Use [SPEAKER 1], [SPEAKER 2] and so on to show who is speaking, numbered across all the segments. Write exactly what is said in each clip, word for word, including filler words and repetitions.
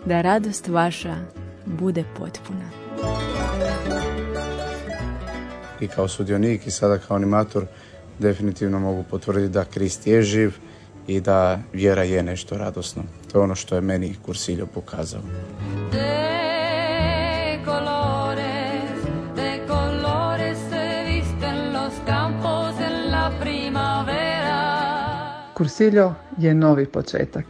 [SPEAKER 1] da radost vaša bude potpuna.
[SPEAKER 2] I kao sudionik i sada kao animator definitivno mogu potvrditi da Krist je živ i da vjera je nešto radosno. To je ono što je meni Cursillo pokazao.
[SPEAKER 3] Cursillo je novi početak.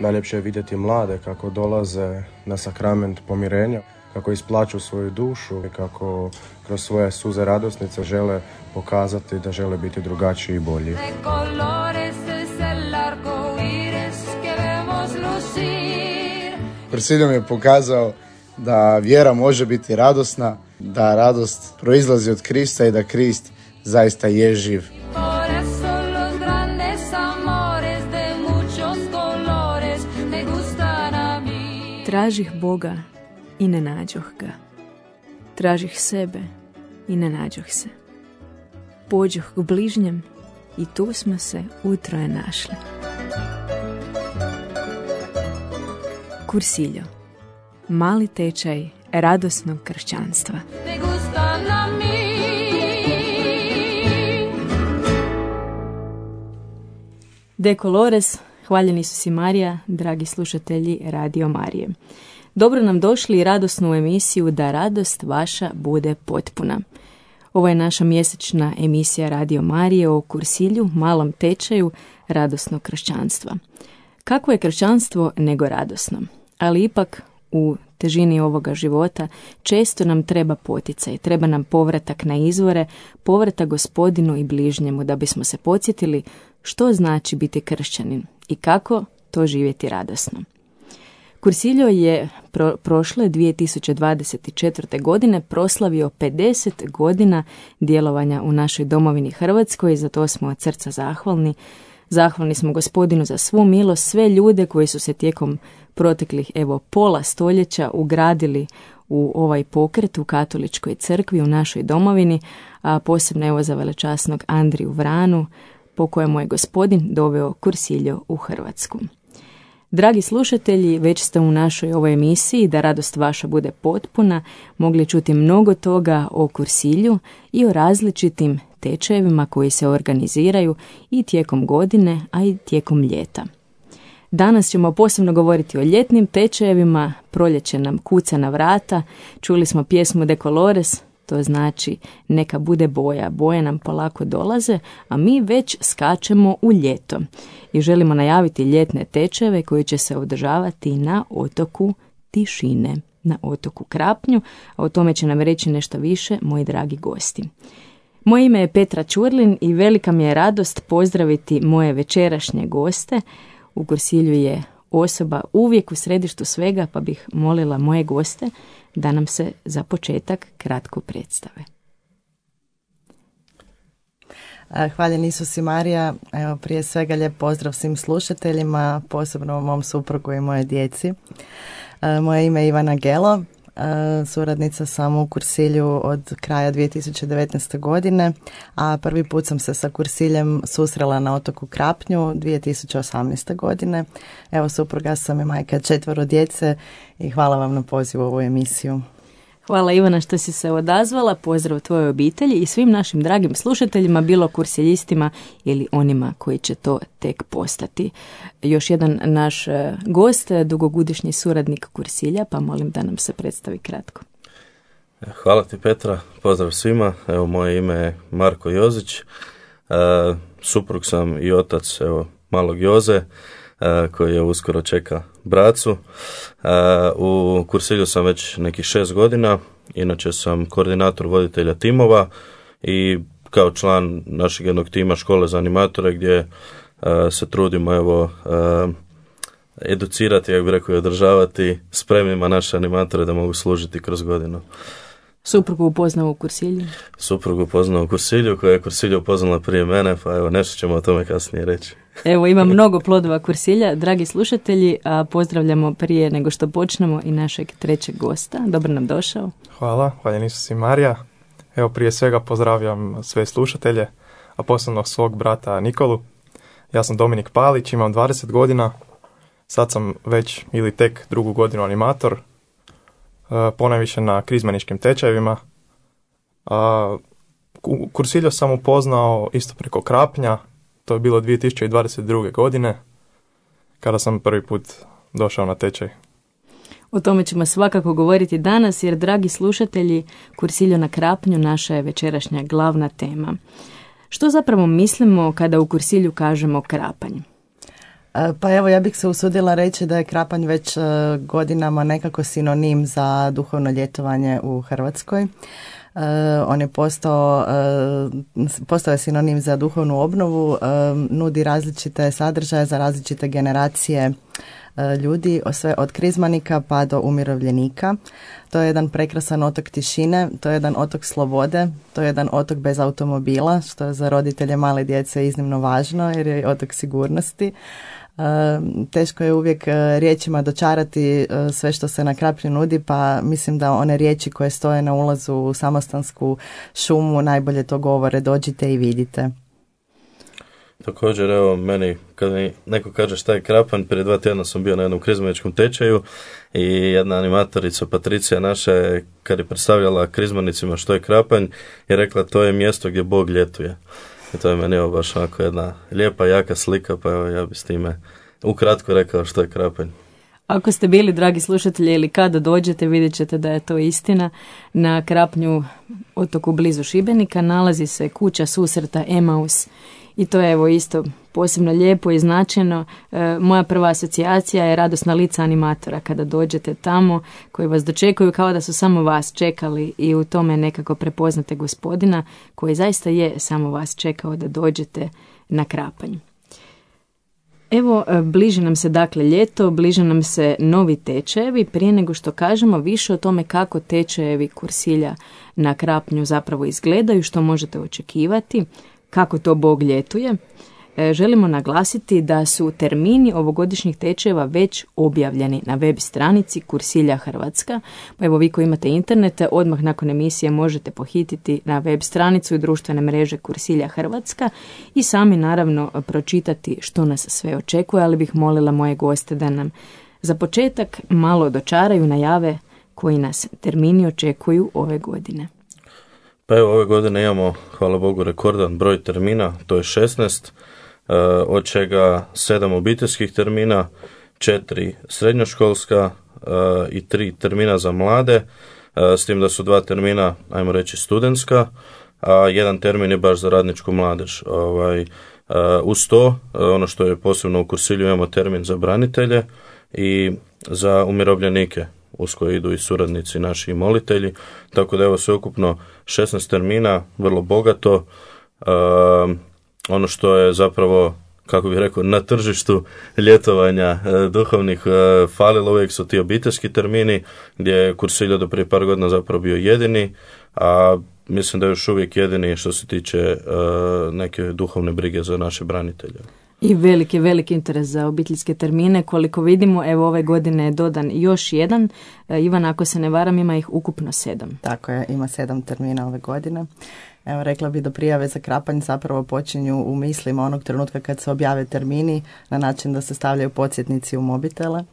[SPEAKER 4] Najljepše je vidjeti mlade kako dolaze na sakrament pomirenja, kako isplaću svoju dušu i kako kroz svoje suze radosnice žele pokazati da žele biti drugačiji i bolji.
[SPEAKER 2] Cursillo mi je pokazao da vjera može biti radosna, da radost proizlazi od Krista i da Krist zaista je živ.
[SPEAKER 1] Tražih Boga i ne nađoh ga. Tražih sebe i ne nađoh se. Pođoh k bližnjem i tu smo se utroje našli. Cursillo. Mali tečaj radosnog kršćanstva. De Colores, hvaljeni su si Marija, dragi slušatelji Radio Marije. Dobro nam došli i radosnu emisiju Da radost vaša bude potpuna. Ovo je naša mjesečna emisija Radio Marije o Cursillu, malom tečaju radosnog kršćanstva. Kako je kršćanstvo nego radosno? Ali ipak u težini ovoga života često nam treba poticaj, treba nam povratak na izvore, povratak Gospodinu i bližnjemu da bismo se podsjetili što znači biti kršćanin i kako to živjeti radosno. Cursillo je pro, prošle dvije tisuće dvadeset četvrte. godine proslavio pedeset godina djelovanja u našoj domovini Hrvatskoj i za to smo od srca zahvalni. Zahvalni smo Gospodinu za svu milost, sve ljude koji su se tijekom proteklih evo pola stoljeća ugradili u ovaj pokret u katoličkoj crkvi u našoj domovini, a posebno evo za velečasnog Andriju Vranu, po kojemu je Gospodin doveo Cursillo u Hrvatsku. Dragi slušatelji, već ste u našoj ovoj emisiji Da radost vaša bude potpuna mogli čuti mnogo toga o Cursillu i o različitim tečajevima koji se organiziraju i tijekom godine, a i tijekom ljeta. Danas ćemo posebno govoriti o ljetnim tečajevima, proljeće nam kuca na vrata, čuli smo pjesmu De Colores, to znači neka bude boja, boje nam polako dolaze, a mi već skačemo u ljeto i želimo najaviti ljetne tečajeve koji će se održavati na otoku Tišine, na otoku Krapnju, a o tome će nam reći nešto više moji dragi gosti. Moje ime je Petra Ćurlin i velika mi je radost pozdraviti moje večerašnje goste. U Cursillu je osoba uvijek u središtu svega, pa bih molila moje goste da nam se za početak kratko predstave.
[SPEAKER 5] Hvaljen Isus i Marija. Evo, prije svega lijep pozdrav svim slušateljima, posebno mom suprugu i moje djeci. Moje ime je Ivana Gelo. Suradnica sam u Cursillu od kraja dvije tisuće devetnaeste. godine, a prvi put sam se sa Cursillem susrela na otoku Krapnju dvije tisuće osamnaeste. godine. Evo, supruga sam i majka četvero djece i hvala vam na pozivu u ovu emisiju.
[SPEAKER 1] Hvala Ivana što si se odazvala, pozdrav tvojoj obitelji i svim našim dragim slušateljima, bilo kursiljistima ili onima koji će to tek postati. Još jedan naš gost, dugogodišnji suradnik Cursilja, pa molim da nam se predstavi kratko.
[SPEAKER 6] Hvala ti Petra, pozdrav svima, evo moje ime je Marko Jozić, e, suprug sam i otac evo, malog Joze, e, koji je uskoro čeka bracu. E, u Cursillu sam već nekih šest godina, inače sam koordinator voditelja timova i kao član našeg jednog tima škole za animatore gdje e, se trudimo evo e, educirati, jak bi rekao, i održavati spremnima naše animatore da mogu služiti kroz godinu.
[SPEAKER 1] Suprugu upoznao u Cursillu?
[SPEAKER 6] Suprugu upoznao u Cursillu, koja je Cursillo upoznala prije mene, pa evo nešto ćemo o tome kasnije reći.
[SPEAKER 1] Evo, ima mnogo plodova Cursilja. Dragi slušatelji, a pozdravljamo prije nego što počnemo i našeg trećeg gosta. Dobro nam došao.
[SPEAKER 7] Hvala, hvaljen Isus i Marija. Evo, prije svega pozdravljam sve slušatelje, a posebno svog brata Nikolu. Ja sam Dominik Palić, imam dvadeset godina, sad sam već ili tek drugu godinu animator, ponajviše na krizmaničkim tečajevima. Kursiljo sam upoznao isto preko Krapnja, to je bilo dvije tisuće dvadeset druge. godine, kada sam prvi put došao na tečaj.
[SPEAKER 1] O tome ćemo svakako govoriti danas, jer, dragi slušatelji, Kursiljo na Krapnju naša je večerašnja glavna tema. Što zapravo mislimo kada u Kursilju kažemo Krapanj?
[SPEAKER 5] Pa evo, ja bih se usudila reći da je Krapanj već godinama nekako sinonim za duhovno ljetovanje u Hrvatskoj. Uh, on je postao, uh, postao je sinonim za duhovnu obnovu, uh, nudi različite sadržaje za različite generacije uh, ljudi, sve od krizmanika pa do umirovljenika. To je jedan prekrasan otok tišine, to je jedan otok slobode, to je jedan otok bez automobila, što je za roditelje male djece iznimno važno jer je otok sigurnosti. Uh, teško je uvijek uh, riječima dočarati uh, sve što se na Krapnju nudi, pa mislim da one riječi koje stoje na ulazu u Samostansku šumu najbolje to govore: dođite i vidite.
[SPEAKER 6] Također, evo, meni kad mi neko kaže šta je Krapanj, prije dva tjedna sam bio na jednom krizmaničkom tečaju i jedna animatorica, Patricija naša, je, kad je predstavljala krizmanicima što je Krapanj, je rekla to je mjesto gdje Bog ljetuje. I to je meni evo baš onako jedna lijepa, jaka slika, pa evo ja bi s time ukratko rekao što je Krapanj.
[SPEAKER 1] Ako ste bili, dragi slušatelji, ili kada dođete, vidjet ćete da je to istina. Na Krapnju, otoku blizu Šibenika, nalazi se kuća susreta Emaus. I to je evo isto posebno lijepo i značajno. E, moja prva asocijacija je radosna lica animatora kada dođete tamo, koji vas dočekuju kao da su samo vas čekali, i u tome nekako prepoznate Gospodina koji zaista je samo vas čekao da dođete na Krapanj. Evo, bliži nam se dakle ljeto, bliže nam se novi tečajevi. Prije nego što kažemo više o tome kako tečajevi Kursilja na Krapnju zapravo izgledaju, što možete očekivati, kako to Bog ljetuje, želimo naglasiti da su termini ovogodišnjih tečajeva već objavljeni na web stranici Kursilja Hrvatska. Pa evo, vi koji imate internete, odmah nakon emisije možete pohititi na web stranicu i društvene mreže Kursilja Hrvatska i sami naravno pročitati što nas sve očekuje, ali bih molila moje goste da nam za početak malo dočaraju, najave koji nas termini očekuju ove godine.
[SPEAKER 6] Pa evo, ove godine imamo, hvala Bogu, rekordan broj termina, to je šesnaest, od čega sedam obiteljskih termina, četiri srednjoškolska i tri termina za mlade, s tim da su dva termina, ajmo reći, studentska, a jedan termin je baš za radničku mladež. Ovaj, uz to, ono što je posebno u Kursilju, imamo termin za branitelje i za umirovljenike, uz koje idu i suradnici naši i molitelji, tako da evo sveukupno šesnaest termina, vrlo bogato. Uh, ono što je zapravo, kako bih rekao, na tržištu ljetovanja uh, duhovnih uh, falilo uvijek su ti obiteljski termini, gdje je Kursiljo do prije par godina zapravo bio jedini, a mislim da je još uvijek jedini što se tiče uh, neke duhovne brige za naše branitelje.
[SPEAKER 1] I veliki, veliki interes za obiteljske termine. Koliko vidimo, evo ove godine je dodan još jedan. Ivan, ako se ne varam, ima ih ukupno sedam.
[SPEAKER 5] Tako je, ima sedam termina ove godine. Evo, rekla bi da prijave za Krapanj zapravo počinju u mislima onog trenutka kad se objave termini, na način da se stavljaju podsjetnici u mobitele,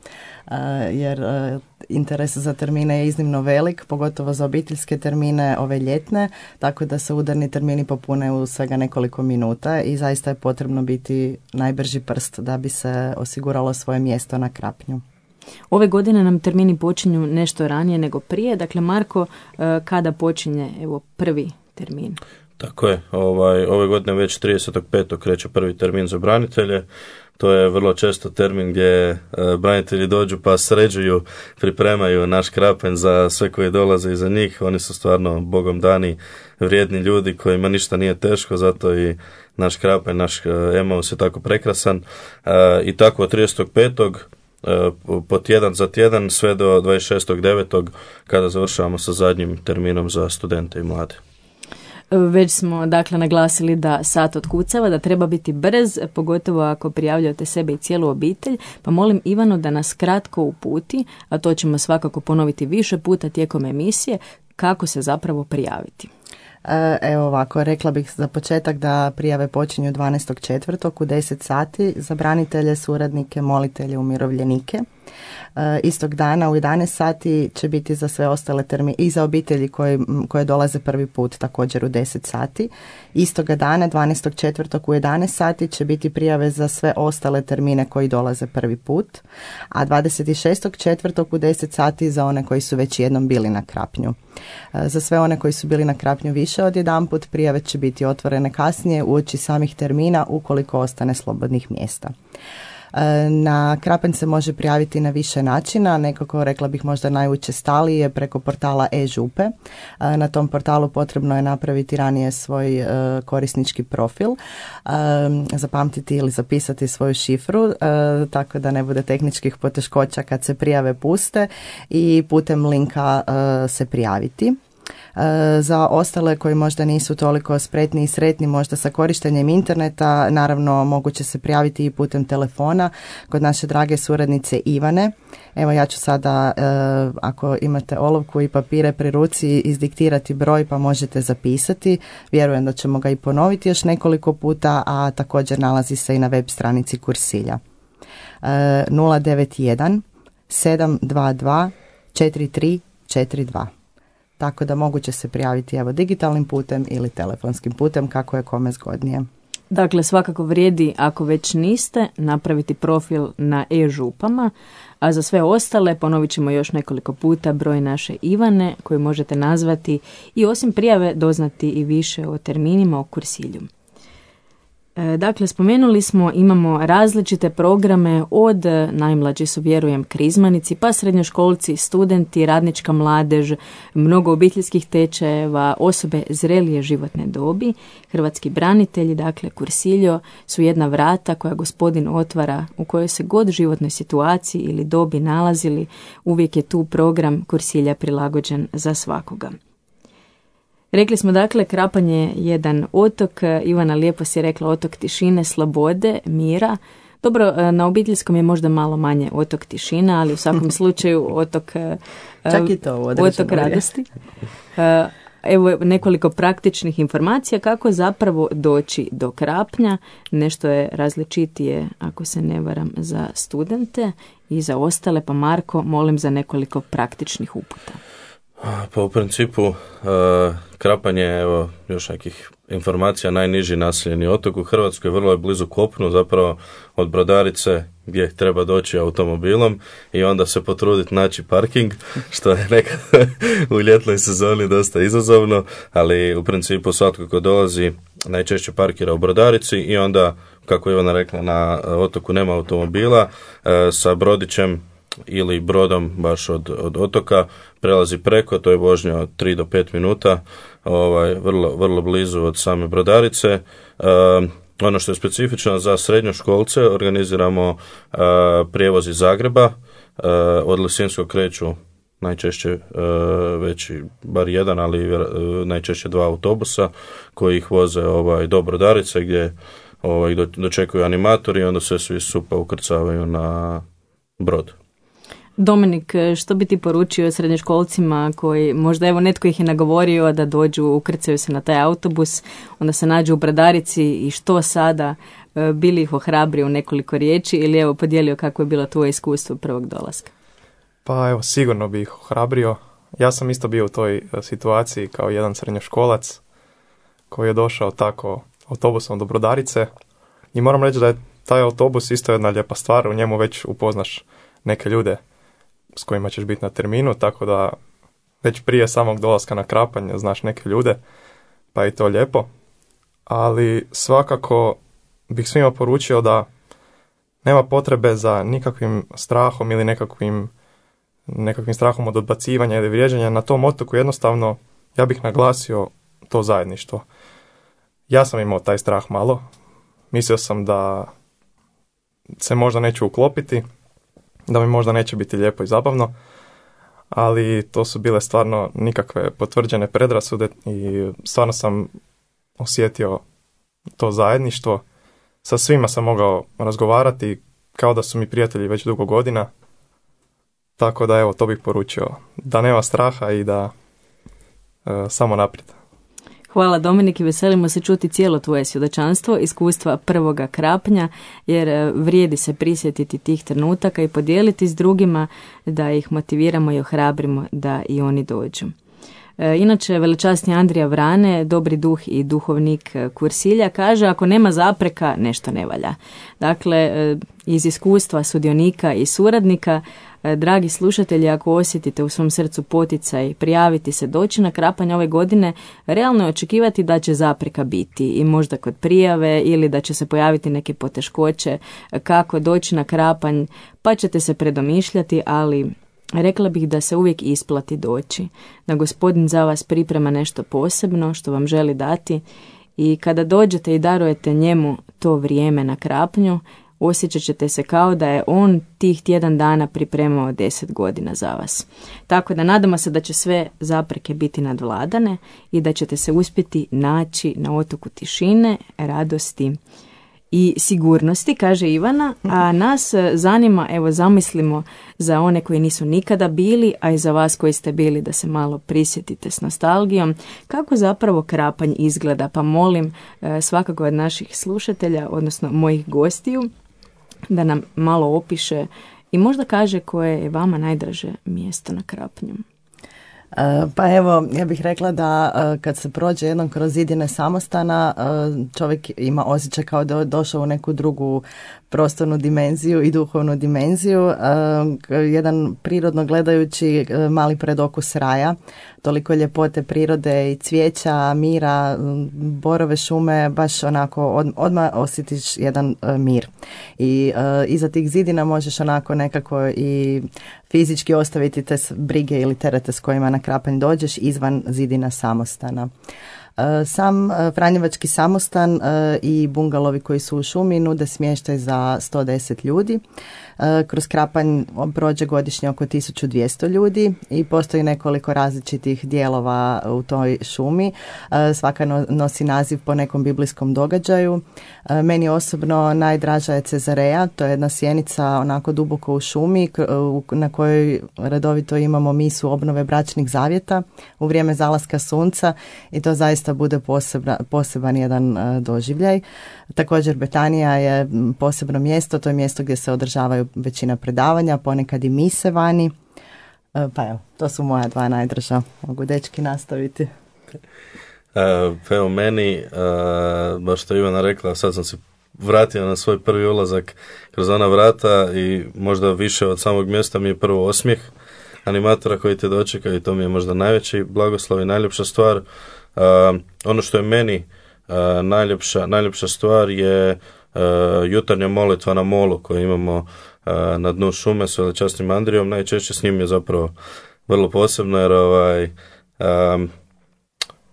[SPEAKER 5] jer interes za termine je iznimno velik, pogotovo za obiteljske termine, ove ljetne, tako da se udarni termini popune u svega nekoliko minuta i zaista je potrebno biti najbrži prst da bi se osiguralo svoje mjesto na Krapnju.
[SPEAKER 1] Ove godine nam termini počinju nešto ranije nego prije. Dakle, Marko, kada počinje evo prvi termin?
[SPEAKER 6] Tako je, ovaj, ove godine već tridesetog petog kreće prvi termin za branitelje. To je vrlo često termin gdje e, branitelji dođu pa sređuju, pripremaju naš Krapanj za sve koji dolaze iza njih. Oni su stvarno Bogom dani vrijedni ljudi kojima ništa nije teško, zato i naš Krapanj, naš Emaus je tako prekrasan. E, I tako od tridesetog petog e, po tjedan za tjedan sve do dvadeset šestog devetog kada završavamo sa zadnjim terminom za studente i mlade.
[SPEAKER 1] Već smo dakle naglasili da sat otkucava, da treba biti brz, pogotovo ako prijavljujete sebe i cijelu obitelj, pa molim Ivanu da nas kratko uputi, a to ćemo svakako ponoviti više puta tijekom emisije, kako se zapravo prijaviti.
[SPEAKER 5] Evo ovako, rekla bih za početak da prijave počinju dvanaestog četvrtog u deset sati za branitelje, suradnike, molitelje, umirovljenike. Istog dana u jedanaest sati će biti za sve ostale termine i za obitelji koje, koje dolaze prvi put također u deset sati. Istoga dana dvanaestog četvrtog u jedanaest sati će biti prijave za sve ostale termine koji dolaze prvi put, a dvadeset šestog četvrtog u deset sati za one koji su već jednom bili na Krapnju. Za sve one koji su bili na Krapnju više od jedanput prijave će biti otvorene kasnije uoči samih termina ukoliko ostane slobodnih mjesta. Na Krapanj se može prijaviti na više načina, nekako rekla bih možda najučestaliji je preko portala e-župe. Na tom portalu potrebno je napraviti ranije svoj korisnički profil, zapamtiti ili zapisati svoju šifru, tako da ne bude tehničkih poteškoća kad se prijave puste i putem linka se prijaviti. Za ostale koji možda nisu toliko spretni i sretni možda sa korištenjem interneta, naravno moguće se prijaviti i putem telefona kod naše drage suradnice Ivane. Evo ja ću sada, ako imate olovku i papire pri ruci, izdiktirati broj pa možete zapisati. Vjerujem da ćemo ga i ponoviti još nekoliko puta, a također nalazi se i na web stranici Kursilja. nula devet jedan sedam dva dva četiri tri četiri dva. Tako da moguće se prijaviti evo digitalnim putem ili telefonskim putem kako je kome zgodnije.
[SPEAKER 1] Dakle, svakako vrijedi ako već niste napraviti profil na e-župama, a za sve ostale ponovit ćemo još nekoliko puta broj naše Ivane koju možete nazvati i osim prijave doznati i više o terminima o kursilju. Dakle, spomenuli smo, imamo različite programe, od najmlađi su, vjerujem, krizmanici, pa srednjoškolci, studenti, radnička mladež, mnogo obiteljskih tečajeva, osobe zrelije životne dobi, hrvatski branitelji, dakle Kursiljo su jedna vrata koja gospodin otvara u kojoj se god životnoj situaciji ili dobi nalazili, uvijek je tu program Kursilja prilagođen za svakoga. Rekli smo dakle, Krapanj je jedan otok, Ivana lijepo si rekla, otok tišine, slobode, mira. Dobro, na obiteljskom je možda malo manje otok tišina, ali u svakom slučaju otok,
[SPEAKER 5] čak i to
[SPEAKER 1] otok radosti. Evo nekoliko praktičnih informacija kako zapravo doći do Krapnja. Nešto je različitije, ako se ne varam, za studente i za ostale, pa Marko, molim za nekoliko praktičnih uputa.
[SPEAKER 6] Pa u principu uh, Krapanj je, evo još nekih informacija, najniži naseljeni otok u Hrvatskoj, vrlo je blizu kopnu, zapravo od Brodarice gdje treba doći automobilom i onda se potruditi naći parking, što je nekad u ljetnoj sezoni dosta izazovno, ali u principu svatko ko dolazi najčešće parkira u Brodarici i onda, kako je Ivana rekla, na otoku nema automobila, uh, sa brodićem ili brodom baš od, od otoka prelazi preko, to je vožnja od tri do pet minuta, ovaj, vrlo, vrlo blizu od same Brodarice. E, ono što je specifično za srednjoškolce, organiziramo e, prijevoz iz Zagreba, e, od Lisinskog kreću najčešće e, već bar jedan, ali e, najčešće dva autobusa koji ih voze ovaj, do Brodarice gdje ovaj, do, dočekuju animatori i onda se svi supa ukrcavaju na brod.
[SPEAKER 1] Dominik, što bi ti poručio srednjoškolcima koji, možda evo netko ih je nagovorio da dođu, ukrcaju se na taj autobus, onda se nađu u Brodarici i što sada, bili ih ohrabri u nekoliko riječi ili evo podijelio kako je bilo tvoje iskustvo prvog dolaska?
[SPEAKER 7] Pa evo, sigurno bi ih ohrabrio. Ja sam isto bio u toj situaciji kao jedan srednjoškolac koji je došao tako autobusom do Brodarice i moram reći da je taj autobus isto jedna lijepa stvar, u njemu već upoznaš neke ljude s kojima ćeš biti na terminu, tako da već prije samog dolaska na Krapanj znaš neke ljude, pa je to lijepo. Ali svakako bih svima poručio da nema potrebe za nikakvim strahom ili nekakvim, nekakvim strahom od odbacivanja ili vrijeđanja. Na tom otoku jednostavno ja bih naglasio to zajedništvo. Ja sam imao taj strah malo, mislio sam da se možda neću uklopiti, da mi možda neće biti lijepo i zabavno, ali to su bile stvarno nikakve potvrđene predrasude i stvarno sam osjetio to zajedništvo. Sa svima sam mogao razgovarati kao da su mi prijatelji već dugo godina, tako da evo, to bih poručio, da nema straha i da e, samo naprijed.
[SPEAKER 1] Hvala Dominik i veselimo se čuti cijelo tvoje svjedočanstvo, iskustva prvoga krapnja, jer vrijedi se prisjetiti tih trenutaka i podijeliti s drugima da ih motiviramo i ohrabrimo da i oni dođu. Inače, velečasni Andrija Vrane, dobri duh i duhovnik Kursilja, kaže ako nema zapreka, nešto ne valja. Dakle, iz iskustva sudionika i suradnika, dragi slušatelji, ako osjetite u svom srcu poticaj prijaviti se doći na krapanj ove godine, realno je očekivati da će zapreka biti i možda kod prijave ili da će se pojaviti neke poteškoće kako doći na krapanj, pa ćete se predomišljati, ali rekla bih da se uvijek isplati doći, da Gospodin za vas priprema nešto posebno što vam želi dati i kada dođete i darujete njemu to vrijeme na krapnju, osjećat ćete se kao da je on tih tjedan dana pripremao deset godina za vas. Tako da nadamo se da će sve zapreke biti nadvladane i da ćete se uspjeti naći na otoku tišine, radosti i sigurnosti, kaže Ivana, a nas zanima, evo zamislimo za one koji nisu nikada bili, a i za vas koji ste bili, da se malo prisjetite s nostalgijom, kako zapravo krapanj izgleda, pa molim svakako od naših slušatelja, odnosno mojih gostiju, da nam malo opiše i možda kaže koje je vama najdraže mjesto na krapnju.
[SPEAKER 5] Pa evo, ja bih rekla da kad se prođe jednom kroz zidine samostana, čovjek ima osjećaj kao da je došao u neku drugu prostornu dimenziju i duhovnu dimenziju. Jedan prirodno gledajući mali predokus raja, toliko ljepote prirode i cvijeća, mira, borove šume, baš onako od, odmah osjetiš jedan mir. I iza tih zidina možeš onako nekako i fizički ostaviti te brige ili terete s kojima na krapanj dođeš izvan zidina samostana. Sam Franjevački samostan i bungalovi koji su u šumi nude smještaj za sto deset ljudi. Kroz krapanj prođe godišnje oko tisuću dvjesto ljudi i postoji nekoliko različitih dijelova u toj šumi. Svaka nosi naziv po nekom biblijskom događaju. Meni osobno najdraža je Cezareja, to je jedna sjenica onako duboko u šumi na kojoj redovito imamo misu obnove bračnih zavjeta u vrijeme zalaska sunca i to zaista bude posebna, poseban jedan doživljaj. Također Betanija je posebno mjesto, to je mjesto gdje se održavaju većina predavanja, ponekad i mise vani. Pa evo, to su moja dva najdraža. Mogu dečki nastaviti.
[SPEAKER 6] Pa evo meni, baš što Ivana rekla, sad sam se vratio na svoj prvi ulazak kroz ona vrata i možda više od samog mjesta mi je prvo osmijeh animatora koji te dočeka i to mi je možda najveći blagoslov i najljepša stvar. Ono što je meni najljepša, najljepša stvar je jutarnja molitva na molu koju imamo na dnu šume s velečasnim Andrijom. Najčešće s njim je zapravo vrlo posebno jer ovaj,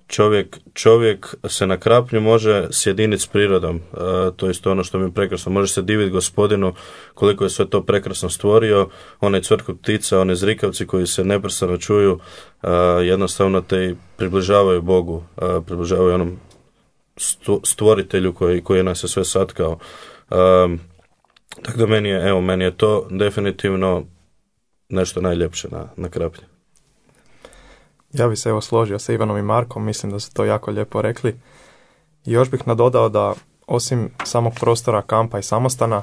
[SPEAKER 6] čovjek, čovjek se na krapnju može sjediniti s prirodom. To je isto ono što mi je prekrasno. Može se diviti Gospodinu koliko je sve to prekrasno stvorio. Onaj cvrkot ptica, one zrikavci koji se neprestano čuju, jednostavno te približavaju Bogu, približavaju onom stvoritelju koji, koji nas je sve satkao. Um, tako da meni je, evo, meni je to definitivno nešto najljepše na, na kraplji.
[SPEAKER 7] Ja bih se evo složio sa Ivanom i Markom, mislim da su to jako lijepo rekli. I još bih nadodao da osim samog prostora kampa i samostana,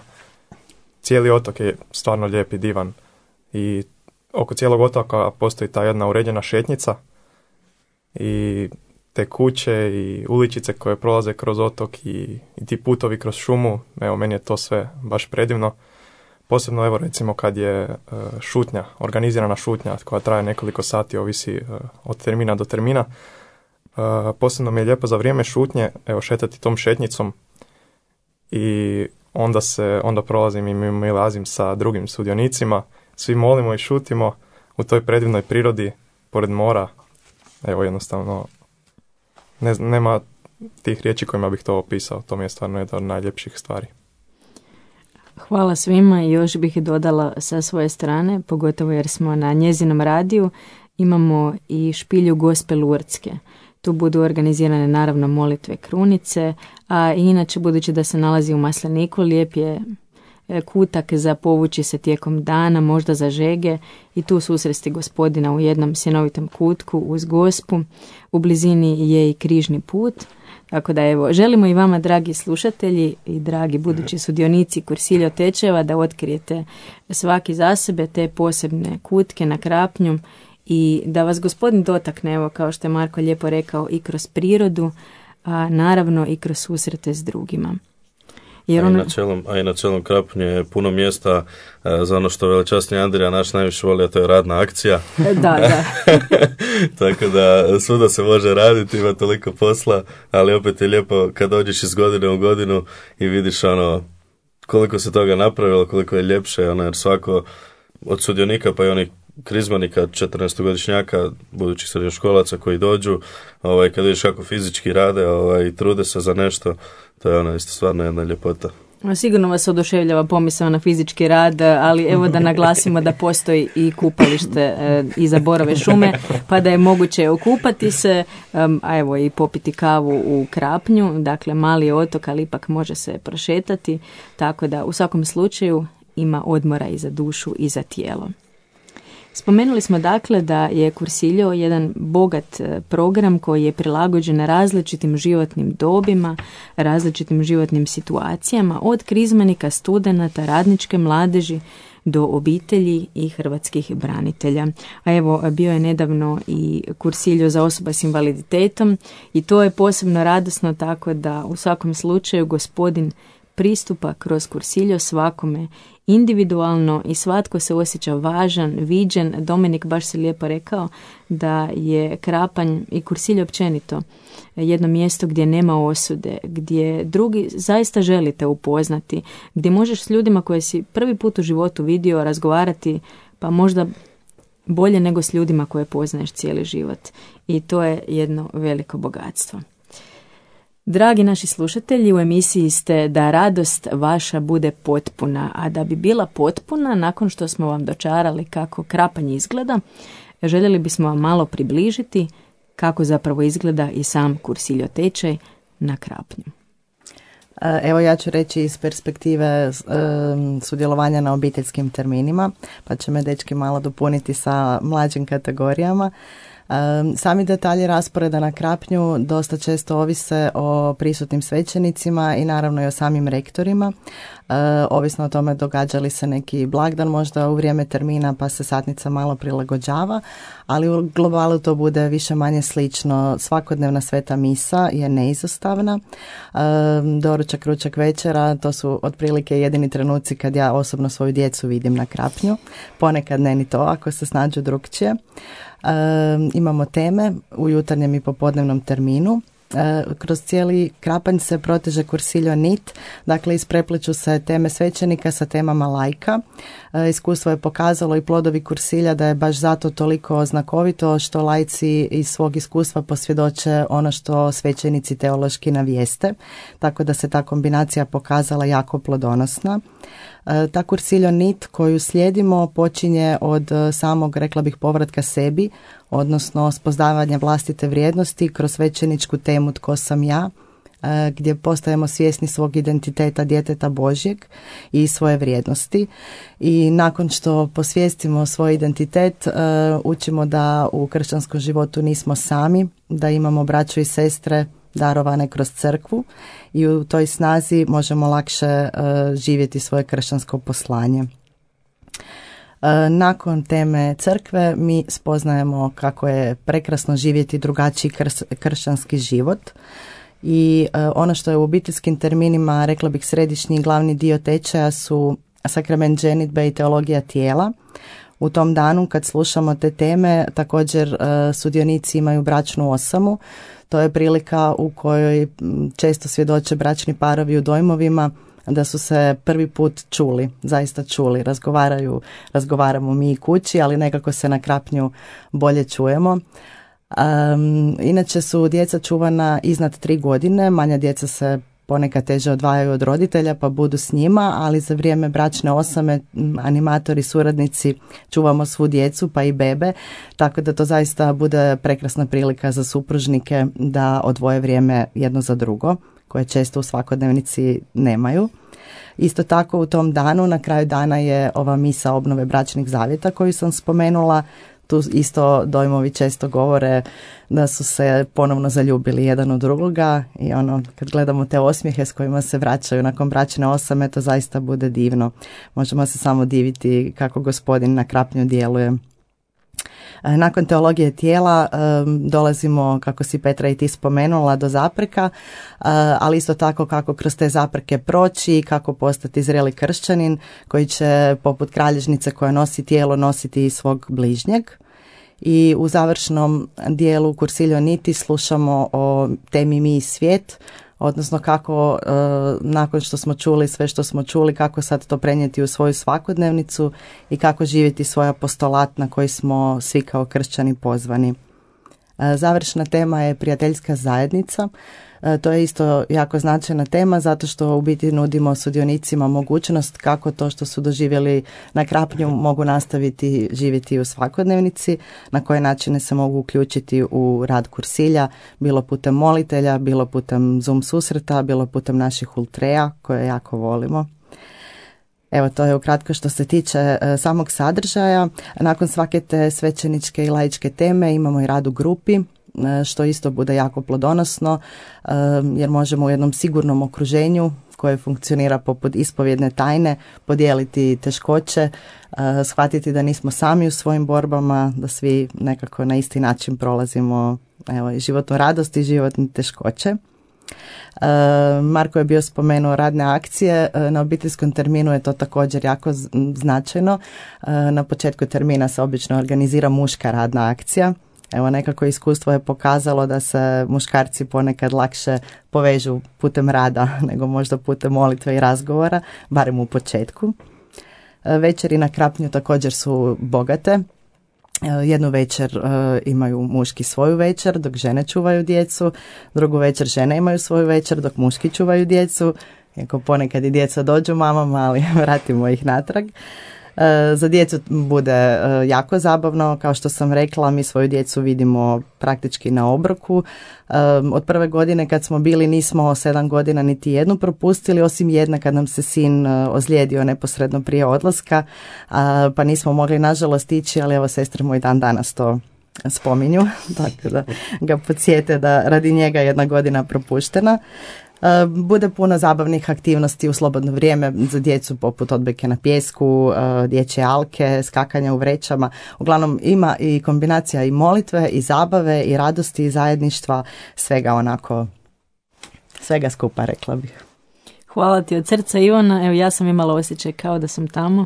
[SPEAKER 7] cijeli otok je stvarno lijep i divan. I oko cijelog otoka postoji ta jedna uređena šetnjica i te kuće i uličice koje prolaze kroz otok i, i ti putovi kroz šumu, evo meni je to sve baš predivno. Posebno evo recimo kad je uh, šutnja, organizirana šutnja koja traje nekoliko sati, ovisi uh, od termina do termina. Uh, posebno mi je lijepo za vrijeme šutnje evo šetati tom šetnicom i onda se onda prolazim i milazim sa drugim sudionicima, svi molimo i šutimo u toj predivnoj prirodi pored mora. Evo jednostavno Ne, nema tih riječi kojima bih to opisao. To mi je stvarno jedna od najljepših stvari.
[SPEAKER 1] Hvala svima i još bih dodala sa svoje strane, pogotovo jer smo na njezinom radiju, imamo i špilju Gospe Lurdske. Tu budu organizirane naravno molitve krunice, a inače budući da se nalazi u Masleniku, lijep je kutak za povući se tijekom dana, možda za žege i tu susresti Gospodina u jednom sjenovitom kutku uz Gospu. U blizini je i križni put. Tako da evo, želimo i vama, dragi slušatelji i dragi budući sudionici Cursilio tečajeva, da otkrijete svaki za sebe te posebne kutke na Krapnju i da vas Gospodin dotakne, evo kao što je Marko lijepo rekao, i kroz prirodu, a naravno i kroz susrete s drugima. Jer
[SPEAKER 6] a,
[SPEAKER 1] on...
[SPEAKER 6] i na celom, a i na celom Krapnju je puno mjesta a, za ono što veličasni Andrija naš najviše voli, a to je radna akcija.
[SPEAKER 1] Da, da.
[SPEAKER 6] Tako da svuda se može raditi, ima toliko posla, ali opet je lijepo kad dođeš iz godine u godinu i vidiš ono koliko se toga napravilo, koliko je ljepše, ono, jer svako od sudionika pa i onih krizmanika, četrnaestogodišnjaka, budućih srednjoškolaca koji dođu, ovaj, kad vidiš kako fizički rade ovaj, i trude se za nešto, to je ono isto stvarno jedna ljepota.
[SPEAKER 1] Sigurno vas oduševljava pomisao na fizički rad, ali evo da naglasimo da postoji i kupalište e, iza Borove šume, pa da je moguće okupati se, um, a evo i popiti kavu u Krapnju, dakle mali je otok, ali ipak može se prošetati, tako da u svakom slučaju ima odmora i za dušu i za tijelo. Spomenuli smo dakle da je Cursilio jedan bogat program koji je prilagođen različitim životnim dobima, različitim životnim situacijama, od krizmanika, studenata, radničke mladeži do obitelji i hrvatskih branitelja. A evo, bio je nedavno i Cursilio za osoba s invaliditetom i to je posebno radosno, tako da u svakom slučaju Gospodin pristupa kroz Cursilio svakome individualno i svatko se osjeća važan, viđen. Dominik baš se lijepo rekao da je Krapanj i Cursilio općenito jedno mjesto gdje nema osude, gdje drugi zaista želite upoznati, gdje možeš s ljudima koje si prvi put u životu vidio razgovarati, pa možda bolje nego s ljudima koje poznaješ cijeli život. I to je jedno veliko bogatstvo. Dragi naši slušatelji, u emisiji ste Da radost vaša bude potpuna, a da bi bila potpuna, nakon što smo vam dočarali kako Krapanj izgleda, željeli bismo vam malo približiti kako zapravo izgleda i sam Cursilio tečaj na Krapnju.
[SPEAKER 5] Evo ja ću reći iz perspektive um, sudjelovanja na obiteljskim terminima, pa će me dečki malo dopuniti sa mlađim kategorijama. Um, sami detalji rasporeda na Krapnju dosta često ovise o prisutnim svećenicima i naravno i o samim rektorima. Uh, ovisno o tome događa li se neki blagdan možda u vrijeme termina pa se satnica malo prilagođava, ali u globalu to bude više manje slično. Svakodnevna sveta misa je neizostavna. Um, doručak, ručak, večera, to su otprilike jedini trenuci kad ja osobno svoju djecu vidim na Krapnju. Ponekad ne ni to ako se snađu drukčije. E, imamo teme u jutarnjem i popodnevnom terminu. E, kroz cijeli Krapanj se proteže Cursilio nit, dakle isprepliču se teme svećenika sa temama lajka. E, iskustvo je pokazalo i plodovi Cursilja da je baš zato toliko znakovito što lajci iz svog iskustva posvjedoče ono što svećenici teološki navijeste, tako da se ta kombinacija pokazala jako plodonosna. Ta Cursilio nit koju slijedimo počinje od samog, rekla bih, povratka sebi, odnosno spoznavanja vlastite vrijednosti kroz svećeničku temu Tko sam ja, gdje postajemo svjesni svog identiteta djeteta Božjeg i svoje vrijednosti. I nakon što posvijestimo svoj identitet, učimo da u kršćanskom životu nismo sami, da imamo braću i sestre darovane kroz crkvu i u toj snazi možemo lakše uh, živjeti svoje kršćansko poslanje. Uh, nakon teme crkve mi spoznajemo kako je prekrasno živjeti drugačiji krs- kršćanski život i uh, ono što je u obiteljskim terminima, rekla bih, središnji i glavni dio tečaja su sakrament ženidbe i teologija tijela. U tom danu kad slušamo te teme također uh, sudionici imaju bračnu osamu. To je prilika u kojoj često svjedoče bračni parovi u dojmovima da su se prvi put čuli, zaista čuli, razgovaraju, razgovaramo mi i kući, ali nekako se na Krapnju bolje čujemo. Um, inače su djeca čuvana iznad tri godine, manja djeca se ponekad teže odvajaju od roditelja pa budu s njima, ali za vrijeme bračne osame animatori, suradnici čuvamo svu djecu pa i bebe, tako da to zaista bude prekrasna prilika za supružnike da odvoje vrijeme jedno za drugo, koje često u svakodnevnici nemaju. Isto tako u tom danu, na kraju dana je ova misa obnove bračnih zavjeta koju sam spomenula. Tu isto dojmovi često govore da su se ponovno zaljubili jedan u drugoga i ono, kad gledamo te osmijehe s kojima se vraćaju nakon bračne osame, to zaista bude divno. Možemo se samo diviti kako Gospodin na krapnju djeluje. Nakon teologije tijela dolazimo, kako si Petra i ti spomenula, do zapreka, ali isto tako kako kroz te zapreke proći i kako postati zreli kršćanin koji će poput kralježnice koja nosi tijelo nositi i svog bližnjeg. I u završnom dijelu Cursilio Niti slušamo o temi mi i svijet, odnosno kako e, nakon što smo čuli sve što smo čuli, kako sad to prenijeti u svoju svakodnevnicu i kako živjeti svoj apostolat na koji smo svi kao kršćani pozvani. E, završna tema je prijateljska zajednica. E, to je isto jako značajna tema zato što u biti nudimo sudionicima mogućnost kako to što su doživjeli na krapnju mogu nastaviti živjeti u svakodnevnici, na koje načine se mogu uključiti u rad kursilja, bilo putem molitelja, bilo putem Zoom susreta, bilo putem naših ultreja koje jako volimo. Evo, to je ukratko što se tiče e, samog sadržaja. Nakon svake te svećeničke i laičke teme imamo i rad u grupi, što isto bude jako plodonosno, jer možemo u jednom sigurnom okruženju koje funkcionira poput ispovjedne tajne podijeliti teškoće, shvatiti da nismo sami u svojim borbama, da svi nekako na isti način prolazimo evo, i životnu radost i životne teškoće. Marko je bio spomenuo radne akcije, na obiteljskom terminu je to također jako značajno. Na početku termina se obično organizira muška radna akcija. Evo, nekako iskustvo je pokazalo da se muškarci ponekad lakše povežu putem rada nego možda putem molitve i razgovora, barem u početku. Večeri na krapnju također su bogate. Jednu večer imaju muški svoju večer dok žene čuvaju djecu, drugu večer žene imaju svoju večer dok muški čuvaju djecu, iako ponekad i djeca dođu mamama, ali vratimo ih natrag. Za djecu bude jako zabavno, kao što sam rekla, mi svoju djecu vidimo praktički na obroku. Od prve godine kad smo bili nismo sedam godina niti jednu propustili, osim jedne kad nam se sin ozlijedio neposredno prije odlaska, pa nismo mogli nažalost ići, ali evo sestre moj dan danas to spominju, tako da ga podsjete da radi njega jedna godina propuštena. Bude puno zabavnih aktivnosti u slobodno vrijeme za djecu poput odbojke na pijesku, dječje alke, skakanja u vrećama. Uglavnom ima i kombinacija i molitve i zabave i radosti i zajedništva, svega onako, svega skupa rekla bih.
[SPEAKER 1] Hvala ti od srca, Ivana. Evo, ja sam imala osjećaj kao da sam tamo,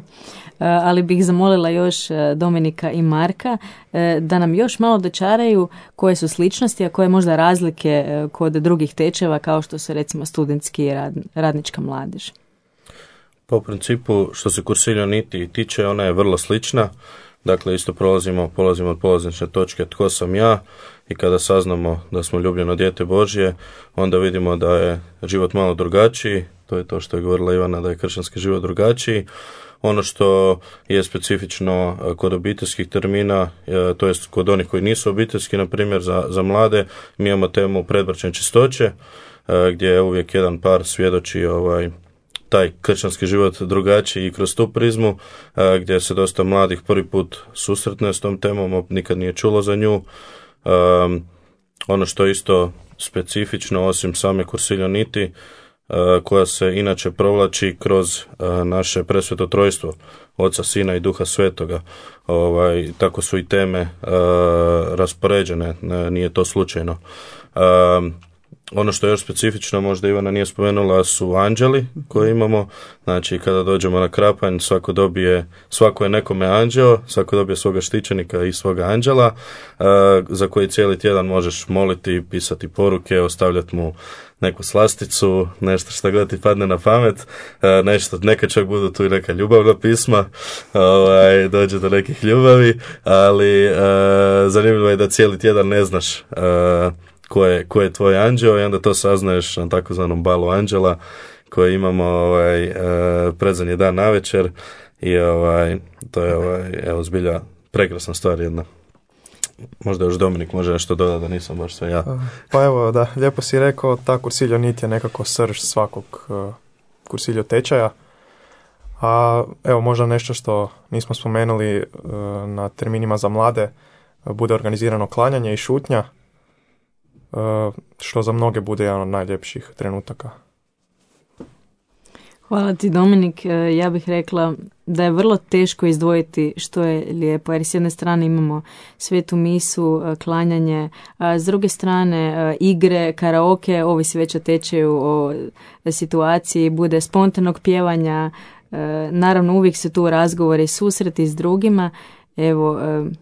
[SPEAKER 1] ali bih zamolila još Dominika i Marka da nam još malo dočaraju koje su sličnosti, a koje možda razlike kod drugih tečeva kao što su recimo studentski i rad, radnička mladež.
[SPEAKER 6] Po principu što se Cursilio Niti tiče, ona je vrlo slična. Dakle, isto prolazimo, polazimo od polazišne točke tko sam ja i kada saznamo da smo ljubljeno dijete Božje, onda vidimo da je život malo drugačiji. To je to što je govorila Ivana, da je kršćanski život drugačiji. Ono što je specifično kod obiteljskih termina, to jest kod onih koji nisu obiteljski, na primjer za, za mlade, mi imamo temu predbračne čistoće, gdje je uvijek jedan par svjedoči ovaj, taj kršćanski život drugačiji i kroz tu prizmu, gdje se dosta mladih prvi put susretne s tom temom, nikad nije čulo za nju. Um, ono što je isto specifično, osim same Cursilio Niti, uh, koja se inače provlači kroz uh, naše presveto trojstvo, Oca, Sina i Duha Svetoga. Ovaj, tako su i teme uh, raspoređene, nije to slučajno. Um, Ono što je još specifično, možda Ivana nije spomenula, su anđeli koje imamo. Znači, kada dođemo na krapanj, svako dobije, svako je nekome anđeo, svako dobije svoga štićenika i svoga anđela, uh, za koji cijeli tjedan možeš moliti, pisati poruke, ostavljati mu neku slasticu, nešto što god ti padne na pamet, uh, nešto, neka čak budu tu i neka ljubavna pisma, ovaj, dođe do nekih ljubavi, ali uh, zanimljivo je da cijeli tjedan ne znaš uh, Ko je, ko je tvoj anđeo i onda to saznaješ na takozvanom balu anđela koje imamo ovaj, e, predzadnji dan navečer i ovaj, to je ovaj, evo, zbilja prekrasna stvar jedna. Možda još Dominik može nešto dodati, da nisam baš sve ja.
[SPEAKER 7] Pa evo, da, lijepo si rekao, ta Cursilio Niti je nekako srž svakog uh, kursiljo tečaja. A evo možda nešto što nismo spomenuli, na terminima za mlade bude organizirano klanjanje i šutnja, što za mnoge bude jedan od najljepših trenutaka.
[SPEAKER 1] Hvala ti, Dominik. Ja bih rekla da je vrlo teško izdvojiti što je lijepo, jer s jedne strane imamo svetu misu, klanjanje, a s druge strane igre, karaoke, ovisi već o tečaju, o situaciji, bude spontanog pjevanja, naravno uvijek su tu razgovori, susreti s drugima. Evo,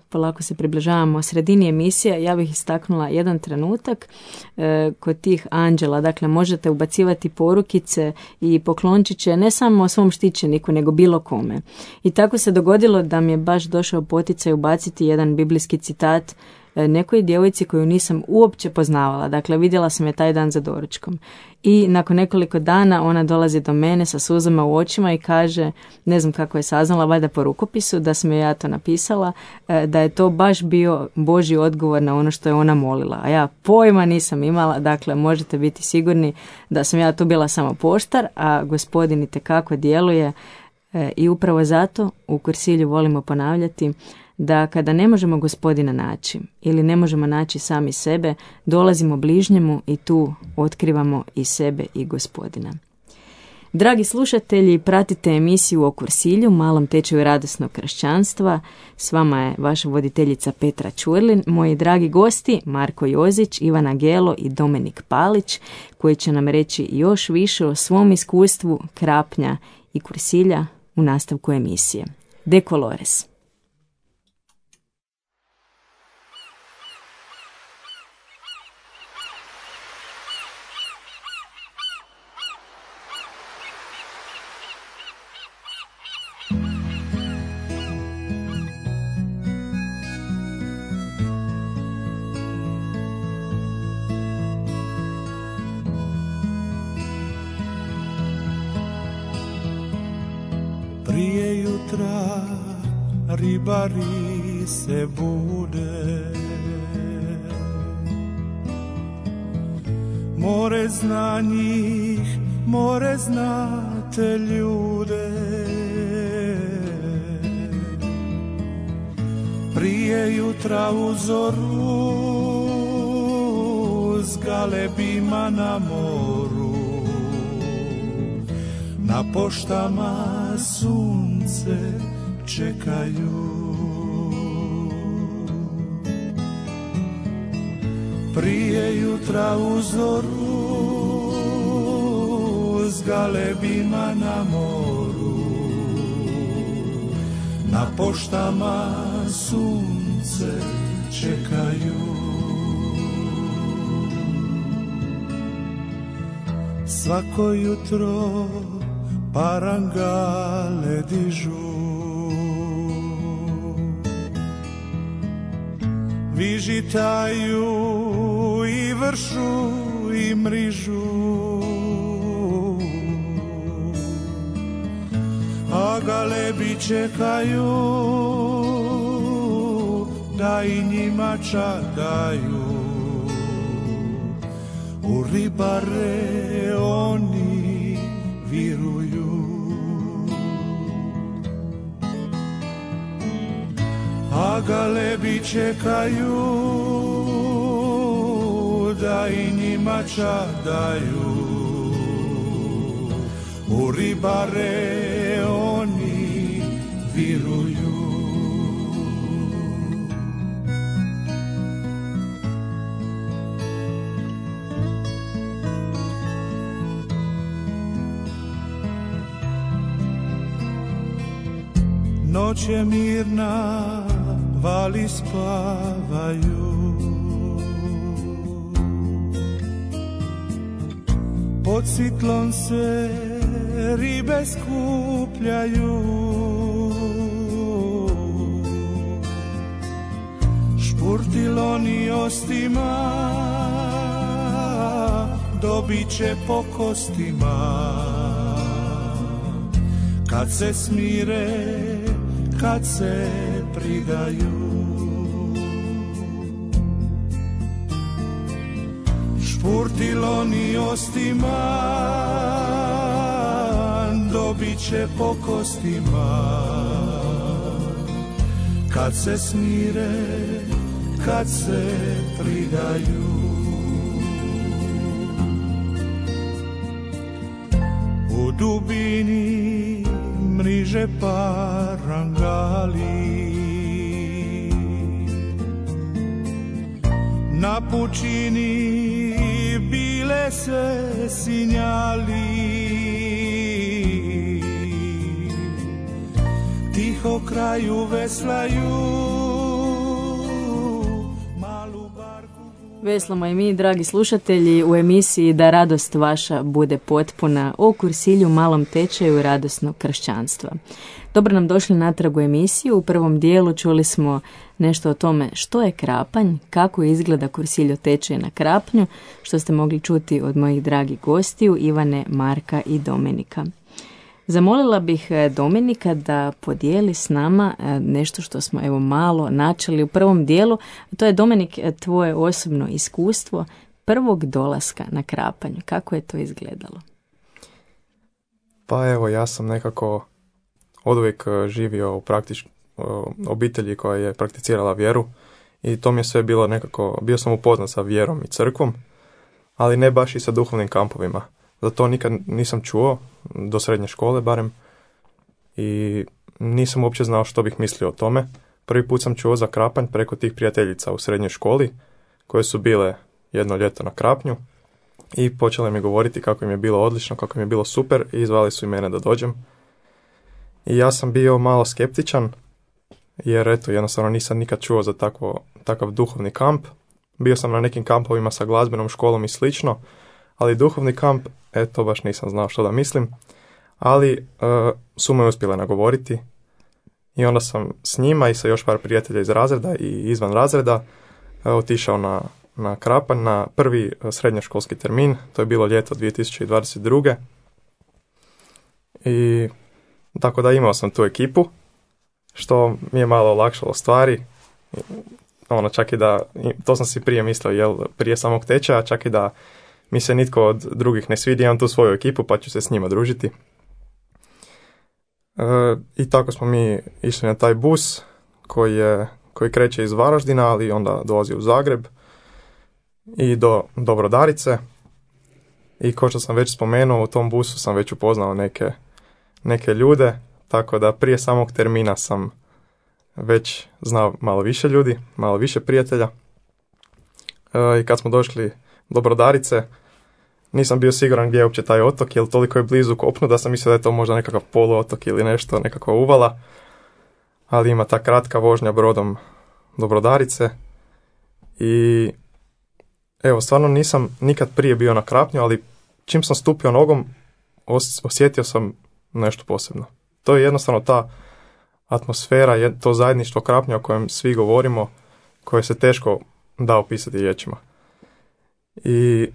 [SPEAKER 1] polako se približavamo sredini emisije. Ja bih istaknula jedan trenutak kod tih anđela. Dakle, možete ubacivati porukice i poklončiće ne samo svom štićeniku, nego bilo kome. I tako se dogodilo da mi je baš došao poticaj ubaciti jedan biblijski citat nekoj djevojci koju nisam uopće poznavala. Dakle, vidjela sam je taj dan za doručkom. I nakon nekoliko dana ona dolazi do mene sa suzama u očima i kaže, ne znam kako je saznala, valjda po rukopisu, da sam joj ja to napisala, da je to baš bio Božji odgovor na ono što je ona molila. A ja pojma nisam imala, dakle možete biti sigurni da sam ja tu bila samo poštar, a Gospodin itekako djeluje. I upravo zato u Kursilju volimo ponavljati da kada ne možemo Gospodina naći ili ne možemo naći sami sebe, dolazimo bližnjemu i tu otkrivamo i sebe i Gospodina. Dragi slušatelji, pratite emisiju o Kursilju, malom tečaju radosnog kršćanstva. S vama je vaša voditeljica Petra Ćurlin, moji dragi gosti Marko Jozić, Ivana Gelo i Dominik Palić, koji će nam reći još više o svom iskustvu Krapnja i Kursilja u nastavku emisije. De Colores.
[SPEAKER 8] Prije jutra ribari se bude, more zna njih, more znate ljude. Prije jutra u zoru s galebima na moru, na poštama sunce čekaju. Prije jutra u zoru s galebima na moru, na poštama sunce čekaju. Svako jutro parangale dižu, vižitaju i vršu i mrižu, a galebi čekaju da i njima čadaju. U ribare oni viruju, a galebi čekaju da i njima čadaju. U ribare oni viruju. Noć je mirna, vali spavaju, pod sitlom se ribe skupljaju. Špurtiloni ostima dobit će po kostima, kad se smire, kad se pridaju. Špurtiloni ostima Probit će po kostima kad se smire, kad se pridaju. U dubini mriže parangali, na pučini bile se sinjali. Tiho kraju veslaju, malu barku.
[SPEAKER 1] Veslamo i mi, dragi slušatelji, u emisiji Da radost vaša bude potpuna o kursilju malom tečaju radosnog kršćanstva. Dobro nam došli natrag u emisiju. U prvom dijelu čuli smo nešto o tome što je krapanj, kako izgleda kursilj o tečaju na krapnju, što ste mogli čuti od mojih dragih gostiju Ivane, Marka i Dominika. Zamolila bih Dominika da podijeli s nama nešto što smo evo malo načeli u prvom dijelu. To je, Dominik, tvoje osobno iskustvo prvog dolaska na krapanj. Kako je to izgledalo?
[SPEAKER 7] Pa evo, ja sam nekako oduvijek živio u praktič, obitelji koja je prakticirala vjeru i to mi je sve bilo nekako, bio sam upoznat sa vjerom i crkvom, ali ne baš i sa duhovnim kampovima. Za to nikad nisam čuo, do srednje škole barem, i nisam uopće znao što bih mislio o tome. Prvi put sam čuo za krapanj preko tih prijateljica u srednjoj školi, koje su bile jedno ljeto na krapnju i počele mi govoriti kako im je bilo odlično, kako im je bilo super i zvali su i mene da dođem. I ja sam bio malo skeptičan, jer eto, jednostavno nisam nikad čuo za takvo, takav duhovni kamp. Bio sam na nekim kampovima sa glazbenom školom i slično, ali duhovni kamp, eto, baš nisam znao što da mislim. Ali uh, su me uspjele nagovoriti i onda sam s njima i sa još par prijatelja iz razreda i izvan razreda uh, otišao na, na krapanj na prvi uh, srednjoškolski termin. To je bilo ljeto dvije tisuće dvadeset druge. I tako da imao sam tu ekipu, što mi je malo olakšalo stvari. Ono, čak i da, to sam si prije mislio, jel, prije samog tečaja, čak i da mi se nitko od drugih ne svidi, imam tu svoju ekipu pa ću se s njima družiti. E, I tako smo mi išli na taj bus koji, je, koji kreće iz Varaždina, ali onda dolazi u Zagreb i do, do Brodarice. I kao što sam već spomenuo, u tom busu sam već upoznao neke, neke ljude, tako da prije samog termina sam već znao malo više ljudi, malo više prijatelja. E, I kad smo došli do Brodarice, nisam bio siguran gdje je uopće taj otok, jer toliko je blizu kopnu da sam mislio da je to možda nekakav poluotok ili nešto, nekakva uvala. Ali ima ta kratka vožnja brodom do Brodarice. I evo, stvarno nisam nikad prije bio na krapnju, ali čim sam stupio nogom, os- osjetio sam nešto posebno. To je jednostavno ta atmosfera, to zajedništvo krapnja o kojem svi govorimo, koje se teško da opisati riječima. I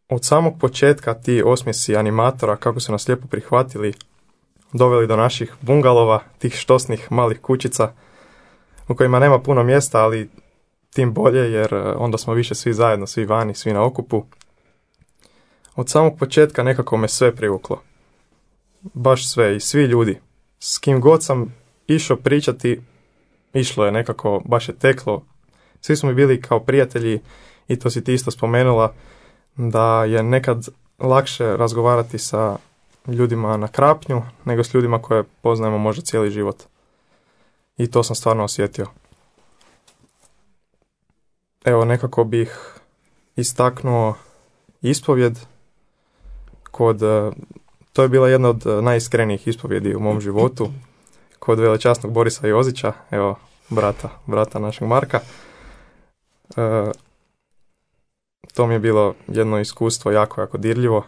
[SPEAKER 7] od samog početka ti osmjesi animatora, kako su nas lijepo prihvatili, doveli do naših bungalova, tih štosnih malih kućica u kojima nema puno mjesta, ali tim bolje jer onda smo više svi zajedno, svi vani, svi na okupu. Od samog početka nekako me sve privuklo. Baš sve i svi ljudi. S kim god sam išao pričati, išlo je nekako, baš je teklo. Svi smo mi bili kao prijatelji i to si ti isto spomenula, da je nekad lakše razgovarati sa ljudima na krapnju nego s ljudima koje poznajemo možda cijeli život. I to sam stvarno osjetio. Evo, nekako bih istaknuo ispovjed kod, to je bila jedna od najiskrenijih ispovjedi u mom životu, kod velečasnog Borisa Jozića, evo, brata, brata našeg Marka. E, to mi je bilo jedno iskustvo jako, jako dirljivo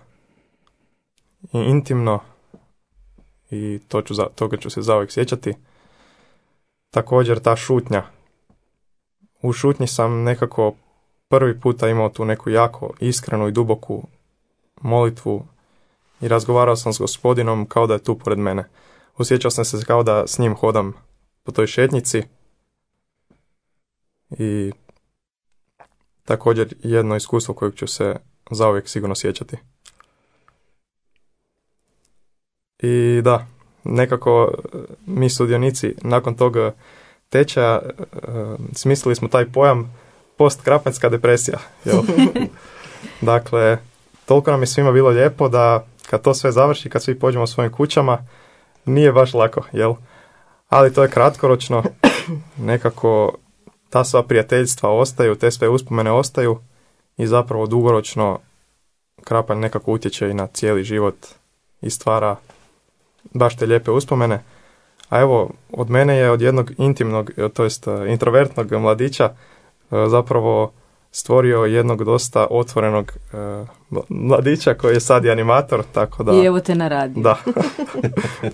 [SPEAKER 7] i intimno i to ću, toga ću se zauvijek sjećati. Također ta šutnja. U šutnji sam nekako prvi puta imao tu neku jako iskrenu i duboku molitvu i razgovarao sam s Gospodinom kao da je tu pored mene. Osjećao sam se kao da s njim hodam po toj šetnjici i također jedno iskustvo kojeg ću se zauvijek sigurno sjećati. I da, nekako mi sudionici nakon tog tečaja smislili smo taj pojam postkrapanjska depresija. Jel? Dakle, toliko nam je svima bilo lijepo da kad to sve završi, kad svi pođemo svojim kućama, nije baš lako, jel? Ali to je kratkoročno, nekako ta sva prijateljstva ostaju, te sve uspomene ostaju i zapravo dugoročno Krapanj nekako utječe i na cijeli život i stvara baš te lijepe uspomene. A evo, od mene je od jednog intimnog, to jest introvertnog mladića zapravo stvorio jednog dosta otvorenog mladića koji je sad i animator, tako da...
[SPEAKER 1] I evo te na radiju.
[SPEAKER 7] Da,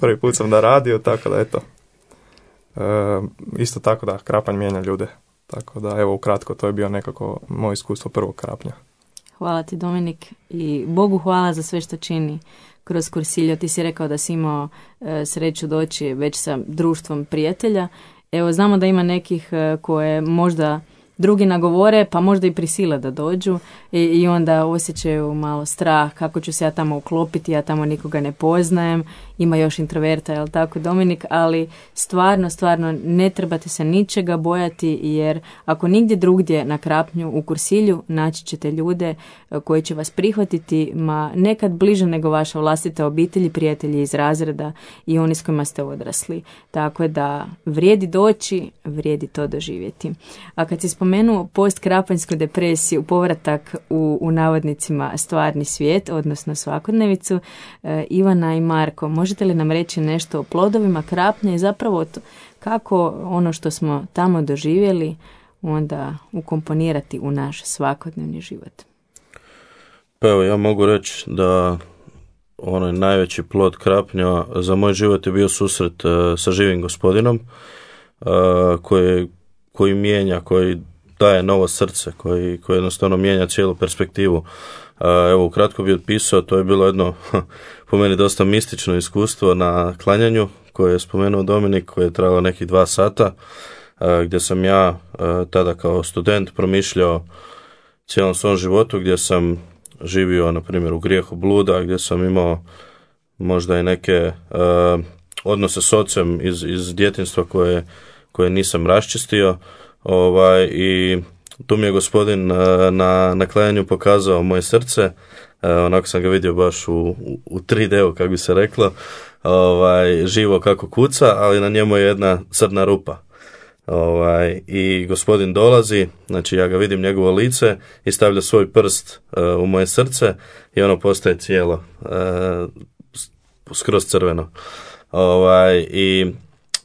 [SPEAKER 7] prvi put sam na radiju, tako da eto. E, isto tako da, Krapanj mijenja ljude. Tako da, evo, ukratko, to je bio nekako moje iskustvo prvog Krapnja.
[SPEAKER 1] Hvala ti, Dominik, i Bogu hvala za sve što čini kroz Cursillo. Ti si rekao da si imao e, sreću doći već sa društvom prijatelja. Evo, znamo da ima nekih e, koje možda drugi nagovore, pa možda i prisile da dođu i, i onda osjećaju malo strah, kako ću se ja tamo uklopiti, ja tamo nikoga ne poznajem, ima još introverta, jel tako, Dominik, ali stvarno, stvarno ne trebate se ničega bojati, jer ako nigdje drugdje na Krapnju u Cursillu naći ćete ljude koji će vas prihvatiti, ma nekad bliže nego vaša vlastita obitelj, prijatelji iz razreda i oni s kojima ste odrasli. Tako da vrijedi doći, vrijedi to doživjeti. A kad si spomenuo postkrapanjsku depresiju, povratak u, u navodnicima stvarni svijet, odnosno svakodnevicu, e, Ivana i Marko, možete li nam reći nešto o plodovima Krapnja i zapravo to, kako ono što smo tamo doživjeli onda ukomponirati u naš svakodnevni život?
[SPEAKER 6] Pa evo, ja mogu reći da onaj najveći plod Krapnja za moj život je bio susret uh, sa živim gospodinom uh, koji, koji mijenja, koji daje novo srce, koji, koji jednostavno mijenja cijelu perspektivu. Uh, evo, ukratko bi otpisao, to je bilo jedno po meni dosta mistično iskustvo na klanjanju koje je spomenuo Dominik, koje je trajalo nekih dva sata, uh, gdje sam ja uh, tada kao student promišljao cijelom svom životu, gdje sam živio, na primjer, u grijehu bluda, gdje sam imao možda i neke uh, odnose s ocem iz, iz djetinjstva koje, koje nisam raščistio. Ovaj, i tu mi je gospodin uh, na, na klajanju pokazao moje srce. Uh, onako sam ga vidio baš u, u, u tri D-u, kako bi se reklo, ovaj, živo kako kuca, ali na njemu je jedna crna rupa. Ovaj, i gospodin dolazi, znači ja ga vidim njegovo lice i stavlja svoj prst uh, u moje srce i ono postaje cijelo uh, skroz crveno. Ovaj, i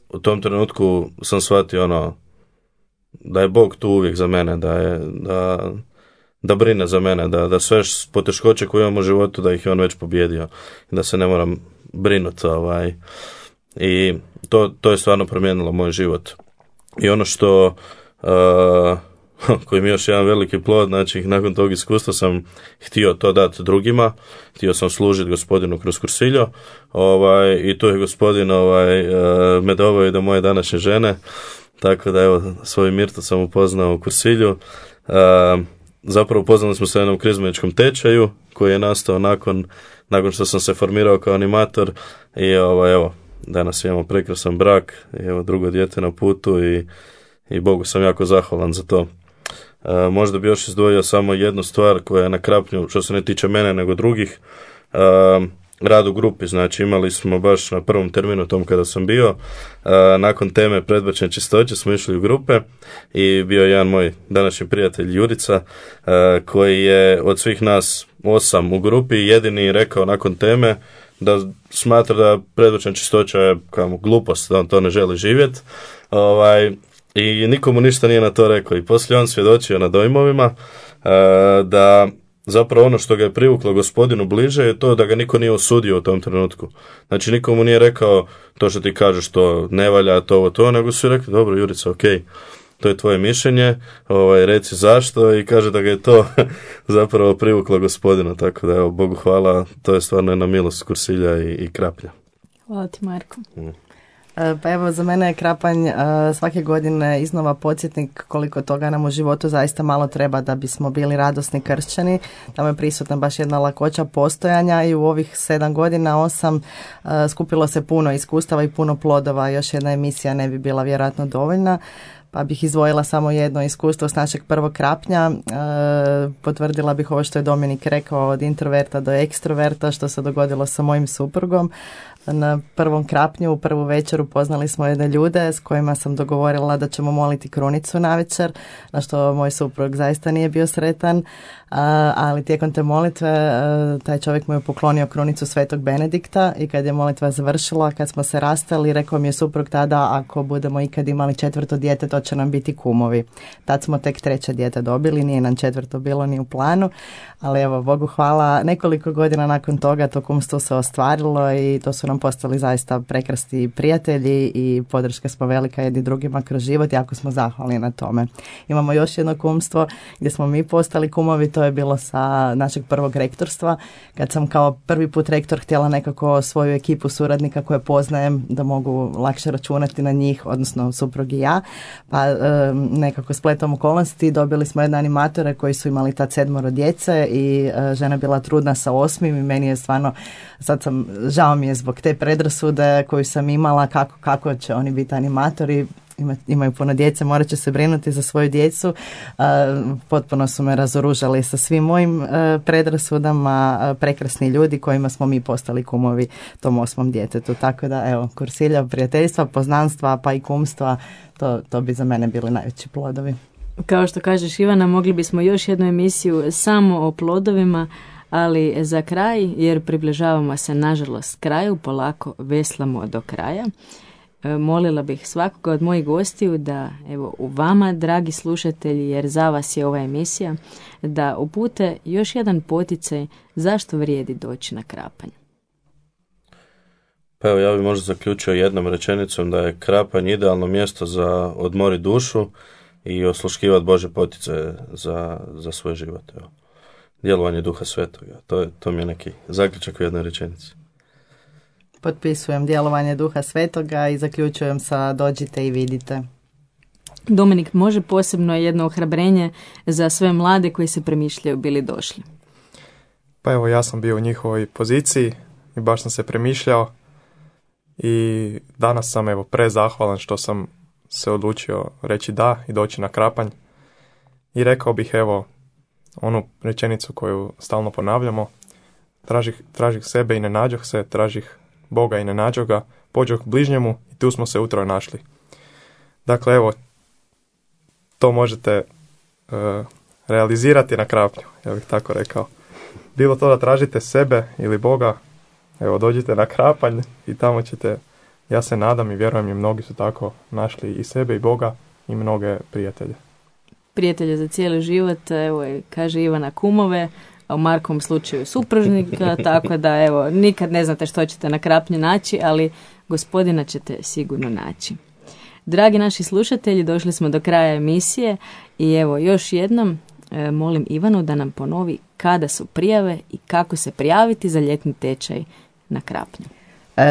[SPEAKER 6] u tom trenutku sam shvatio ono da je Bog tu uvijek za mene, da je da, da brine za mene, da, da sve poteškoće koje imam u životu da ih je on već pobjedio i da se ne moram brinuti. Ovaj. I to, to je stvarno promijenilo moj život. I ono što, uh, koji mi je još jedan veliki plod, znači nakon tog iskustva sam htio to dati drugima, htio sam služiti gospodinu kroz Cursillo, ovaj, i tu je gospodin ovaj, uh, me doveo i do moje današnje žene, tako da evo, svoju Mirtu sam upoznao u Cursillu. Uh, zapravo upoznali smo se na jednom krizmeničkom tečaju koji je nastao nakon, nakon što sam se formirao kao animator i ovaj, evo, danas imamo prekrasan brak, evo drugo dijete na putu i, i Bogu sam jako zahvalan za to. E, možda bi još izdvojio samo jednu stvar koja je na Krapnju, što se ne tiče mene nego drugih, e, rad u grupi. Znači imali smo baš na prvom terminu tom kada sam bio, e, nakon teme predbačne čistoće smo išli u grupe i bio je jedan moj današnji prijatelj Jurica, e, koji je od svih nas osam u grupi jedini rekao nakon teme da smatra da predbačna čistoća je kao glupost, da on to ne želi živjeti. Ovaj, i nikomu ništa nije na to rekao. I poslije on svjedočio na dojmovima uh, da zapravo ono što ga je privuklo gospodinu bliže je to da ga niko nije osudio u tom trenutku. Znači nikomu nije rekao to što ti kažeš to ne valja, to ovo to, nego su rekli dobro Jurica, ok, to je tvoje mišljenje, ovaj, reci zašto, i kaže da ga je to zapravo privuklo gospodinu, tako da evo, Bogu hvala, to je stvarno jedna milost Cursilja i, i Krapnja.
[SPEAKER 1] Hvala ti, Marko. Mm.
[SPEAKER 5] Pa evo, za mene je Krapanj svake godine iznova podsjetnik koliko toga nam u životu zaista malo treba da bismo bili radosni kršćani. Tamo je prisutna baš jedna lakoća postojanja i u ovih sedam godina, osam, skupilo se puno iskustava i puno plodova. Još jedna emisija ne bi bila vjerojatno dovoljna. Pa bih izdvojila samo jedno iskustvo s našeg prvog Krapnja. E, potvrdila bih ovo što je Dominik rekao, od introverta do ekstroverta, što se dogodilo sa mojim suprugom. Na prvom Krapnju, u prvu večer upoznali smo jedne ljude s kojima sam dogovorila da ćemo moliti krunicu navečer, na što moj suprug zaista nije bio sretan, a, ali tijekom te molitve a, taj čovjek mu je poklonio krunicu Svetog Benedikta i kad je molitva završila, kad smo se rastali, rekao mi je suprug tada, ako budemo ikad imali četvrto dijete, to će nam biti kumovi. Tad smo tek treće dijete dobili, nije nam četvrto bilo ni u planu, ali evo, Bogu hvala, nekoliko godina nakon toga to kumstvo se ostvarilo i to su nam postali zaista prekrasni prijatelji i podrška smo velika jedni drugima kroz život, jako smo zahvalni na tome. Imamo još jedno kumstvo gdje smo mi postali kumovi, to je bilo sa našeg prvog rektorstva, kad sam kao prvi put rektor htjela nekako svoju ekipu suradnika koje poznajem, da mogu lakše računati na njih, odnosno suprug i ja, pa e, nekako spletom okolnosti dobili smo jedne animatore koji su imali tad sedmoro djece i e, žena bila trudna sa osmim i meni je stvarno, sad sam, žao mi je zbog te predrasude koju sam imala, kako, kako će oni biti animatori, Ima, imaju puno djece, morat će se brinuti za svoju djecu. Uh, potpuno su me razoružali sa svim mojim uh, predrasudama, uh, prekrasni ljudi kojima smo mi postali kumovi tom osmom djetetu. Tako da, evo, Kursilja, prijateljstva, poznanstva, pa i kumstva, to, to bi za mene bili najveći plodovi.
[SPEAKER 1] Kao što kažeš, Ivana, mogli bismo još jednu emisiju samo o plodovima, ali za kraj, jer približavamo se nažalost kraju, polako veslamo do kraja. Molila bih svakoga od mojih gostiju da, evo, u vama, dragi slušatelji, jer za vas je ova emisija, da upute još jedan poticaj zašto vrijedi doći na Krapanj.
[SPEAKER 6] Pa evo, ja bih možda zaključio jednom rečenicom da je Krapanj idealno mjesto za odmori dušu i osluškivati Bože poticaje za, za svoj život. Evo. Djelovanje Duha Svetoga. To, je, to mi je neki zaključak u jednoj rečenici.
[SPEAKER 5] Potpisujem djelovanje Duha Svetoga i zaključujem sa dođite i vidite.
[SPEAKER 1] Dominik, može posebno jedno ohrabrenje za sve mlade koji se premišljaju bili došli?
[SPEAKER 7] Pa evo, ja sam bio u njihovoj poziciji i baš sam se premišljao i danas sam evo prezahvalan što sam se odlučio reći da i doći na Krapanj i rekao bih evo onu rečenicu koju stalno ponavljamo: tražih, tražih sebe i ne nađoh se, tražih Boga i ne nađoh ga, pođoh k bližnjemu i tu smo se utroje našli. Dakle, evo, to možete uh, realizirati na Krapnju, ja bih tako rekao. Bilo to da tražite sebe ili Boga, evo, dođite na Krapanj i tamo ćete, ja se nadam i vjerujem i mnogi su tako našli i sebe i Boga i mnoge prijatelje.
[SPEAKER 1] Prijatelje za cijeli život, evo, kaže Ivana, kumove, a u Markovom slučaju supružnika, tako da evo, nikad ne znate što ćete na Krapnju naći, ali gospodina ćete sigurno naći. Dragi naši slušatelji, došli smo do kraja emisije i evo još jednom e, molim Ivanu da nam ponovi kada su prijave i kako se prijaviti za ljetni tečaj na Krapnju.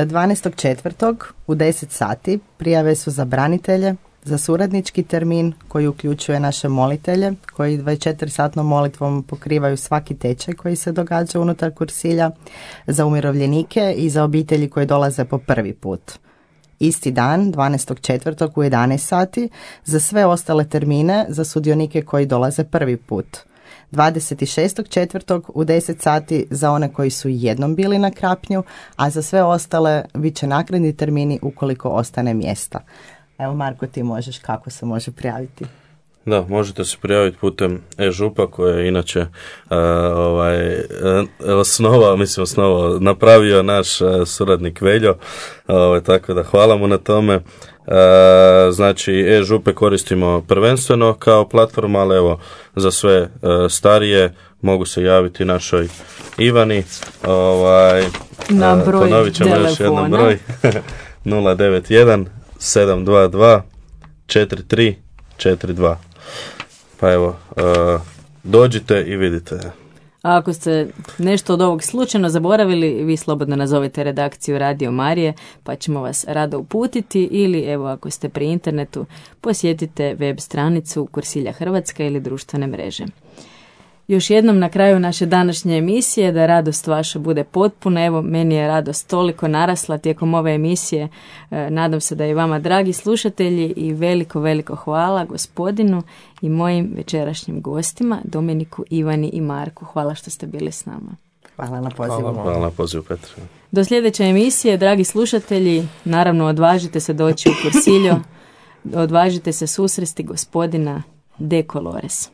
[SPEAKER 5] dvanaestog četvrtog u deset sati prijave su za branitelje, za suradnički termin koji uključuje naše molitelje koji dvadeset četiri satnom molitvom pokrivaju svaki tečaj koji se događa unutar kursilja, za umirovljenike i za obitelji koji dolaze po prvi put. Isti dan, dvanaestog četvrtog u jedanaest sati, za sve ostale termine za sudionike koji dolaze prvi put. dvadeset šestog četvrtog u deset sati za one koji su jednom bili na Krapnju, a za sve ostale bit će naknadni termini ukoliko ostane mjesta. Evo, Marko, ti možeš, kako se može prijaviti?
[SPEAKER 6] Da, možete se prijaviti putem e-župa koje je inače uh, ovaj, osnovao, mislim osnovao, napravio naš uh, suradnik Veljo, uh, tako da hvala mu na tome. Uh, znači, e-župe koristimo prvenstveno kao platforma, ali evo, za sve uh, starije mogu se javiti našoj Ivani. Ovaj,
[SPEAKER 1] na broj
[SPEAKER 6] uh, ponovit ćemo
[SPEAKER 1] telefona.
[SPEAKER 6] Još jednom broj nula devet jedan sedam dva dva četiri tri četiri dva. Pa evo, uh, dođite i vidite.
[SPEAKER 1] A ako ste nešto od ovog slučajno zaboravili, vi slobodno nazovete redakciju Radio Marije, pa ćemo vas rado uputiti, ili evo ako ste pri internetu, posjetite web stranicu Kursilja Hrvatska ili društvene mreže. Još jednom na kraju naše današnje emisije, da radost vaša bude potpuna. Evo, meni je radost toliko narasla tijekom ove emisije. E, nadam se da i vama, dragi slušatelji, i veliko, veliko hvala gospodinu i mojim večerašnjim gostima, Dominiku, Ivani i Marku. Hvala što ste bili s nama.
[SPEAKER 5] Hvala na pozivu.
[SPEAKER 7] Hvala,
[SPEAKER 6] Hvala na pozivu, Petra.
[SPEAKER 1] Do sljedeće emisije, dragi slušatelji, naravno odvažite se doći u Cursillo, odvažite se susresti gospodina De Colores.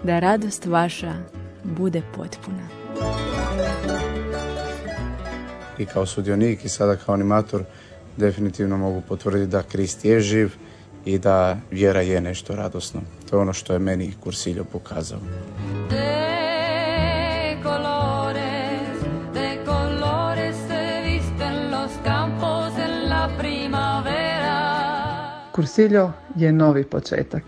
[SPEAKER 1] Da radost vaša bude potpuna.
[SPEAKER 2] I kao sudionik i sada kao animator definitivno mogu potvrditi da Krist je živ i da vjera je nešto radosno. To je ono što je meni Cursillo pokazao.
[SPEAKER 9] De colores, de colores se visten los campos en la primavera.
[SPEAKER 3] Cursillo je novi početak.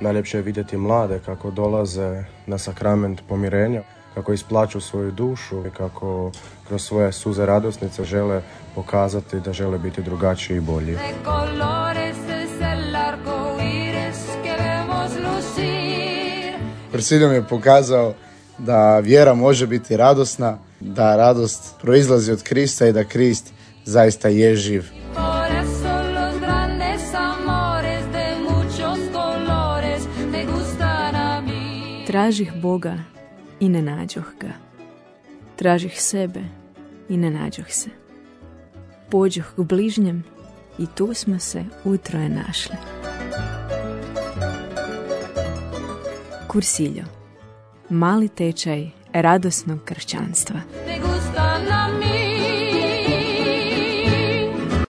[SPEAKER 4] Najljepše je vidjeti mlade kako dolaze na sakrament pomirenja, kako isplaću svoju dušu i kako kroz svoje suze radosnice žele pokazati da žele biti drugačiji i bolji.
[SPEAKER 2] Cursilio mi je pokazao da vjera može biti radosna, da radost proizlazi od Krista i da Krist zaista je živ.
[SPEAKER 1] Tražih Boga i ne nađoh ga. Tražih sebe i ne nađoh se. Pođoh k bližnjem i tu smo se utroje našli. Cursilio. Mali tečaj radosnog kršćanstva.
[SPEAKER 9] Te gustan a mi